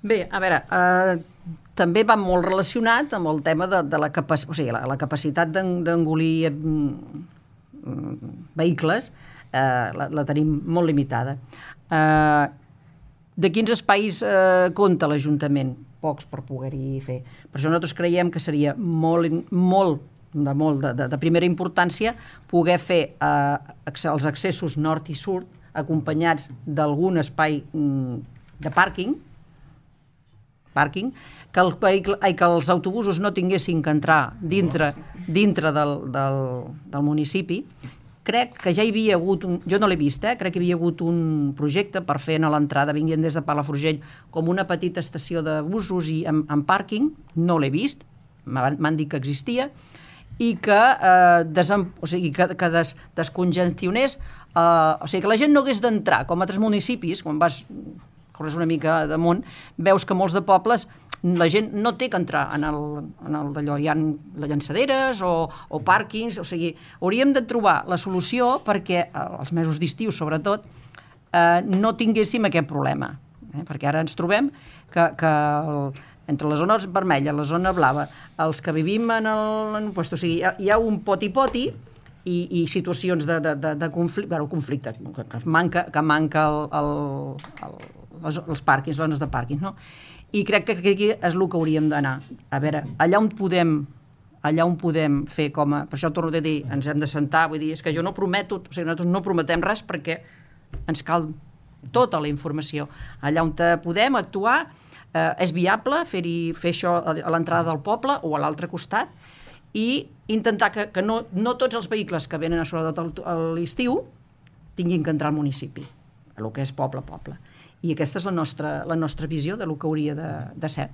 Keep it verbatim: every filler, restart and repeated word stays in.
Bé, a veure, eh, també va molt relacionat amb el tema de, de la, capac o sigui, la, la capacitat d'engolir mm, vehicles, eh, la, la tenim molt limitada. Eh, de quins espais eh, compta l'Ajuntament? Pocs per poder-hi fer. Per això nosaltres creiem que seria molt, molt, de, molt de, de, de primera importància poder fer eh, els accessos nord i sud acompanyats d'algun espai mm, de pàrquing, pàrquing, que, el vehicle, ai, que els autobusos no tinguessin que entrar dintre, dintre del, del, del municipi. Crec que ja hi havia hagut, un, jo no l'he vist, eh? crec que hi havia hagut un projecte per fer a l'entrada, vinguent des de Palafrugell, com una petita estació de busos i amb, amb pàrquing, no l'he vist, m'han dit que existia, i que, eh, desem, o sigui, que, que des, descongestionés, eh, o sigui, que la gent no hagués d'entrar, com a altres municipis, quan vas corres una mica damunt, veus que molts de pobles la gent no té que entrar en el, en el d'allò, hi ha llançaderes o, o pàrquings, o sigui, hauríem de trobar la solució perquè, els mesos d'estiu sobretot, eh, no tinguéssim aquest problema, eh? Perquè ara ens trobem que, que el, entre la zona vermella, la zona blava, els que vivim en el... En, pues, o sigui, hi ha, hi ha un poti-poti i, i situacions de, de, de, de conflicte, bueno, conflicte que, que manca, que manca el, el, el, els, els pàrquings, les zones de pàrquings, no? I crec que aquí és el que hauríem d'anar. A veure, allà on podem allà on podem fer com a... Per això torno a dir, ens hem de sentar, vull dir, és que jo no prometo, o sigui, nosaltres no prometem res perquè ens cal tota la informació. Allà on podem actuar, eh, és viable fer-hi fer això a l'entrada del poble o a l'altre costat i intentar que, que no, no tots els vehicles que venen a sobretot a l'estiu tinguin que entrar al municipi, el que és poble a poble. I aquesta és la nostra, la nostra visió de lo que hauria de, de ser.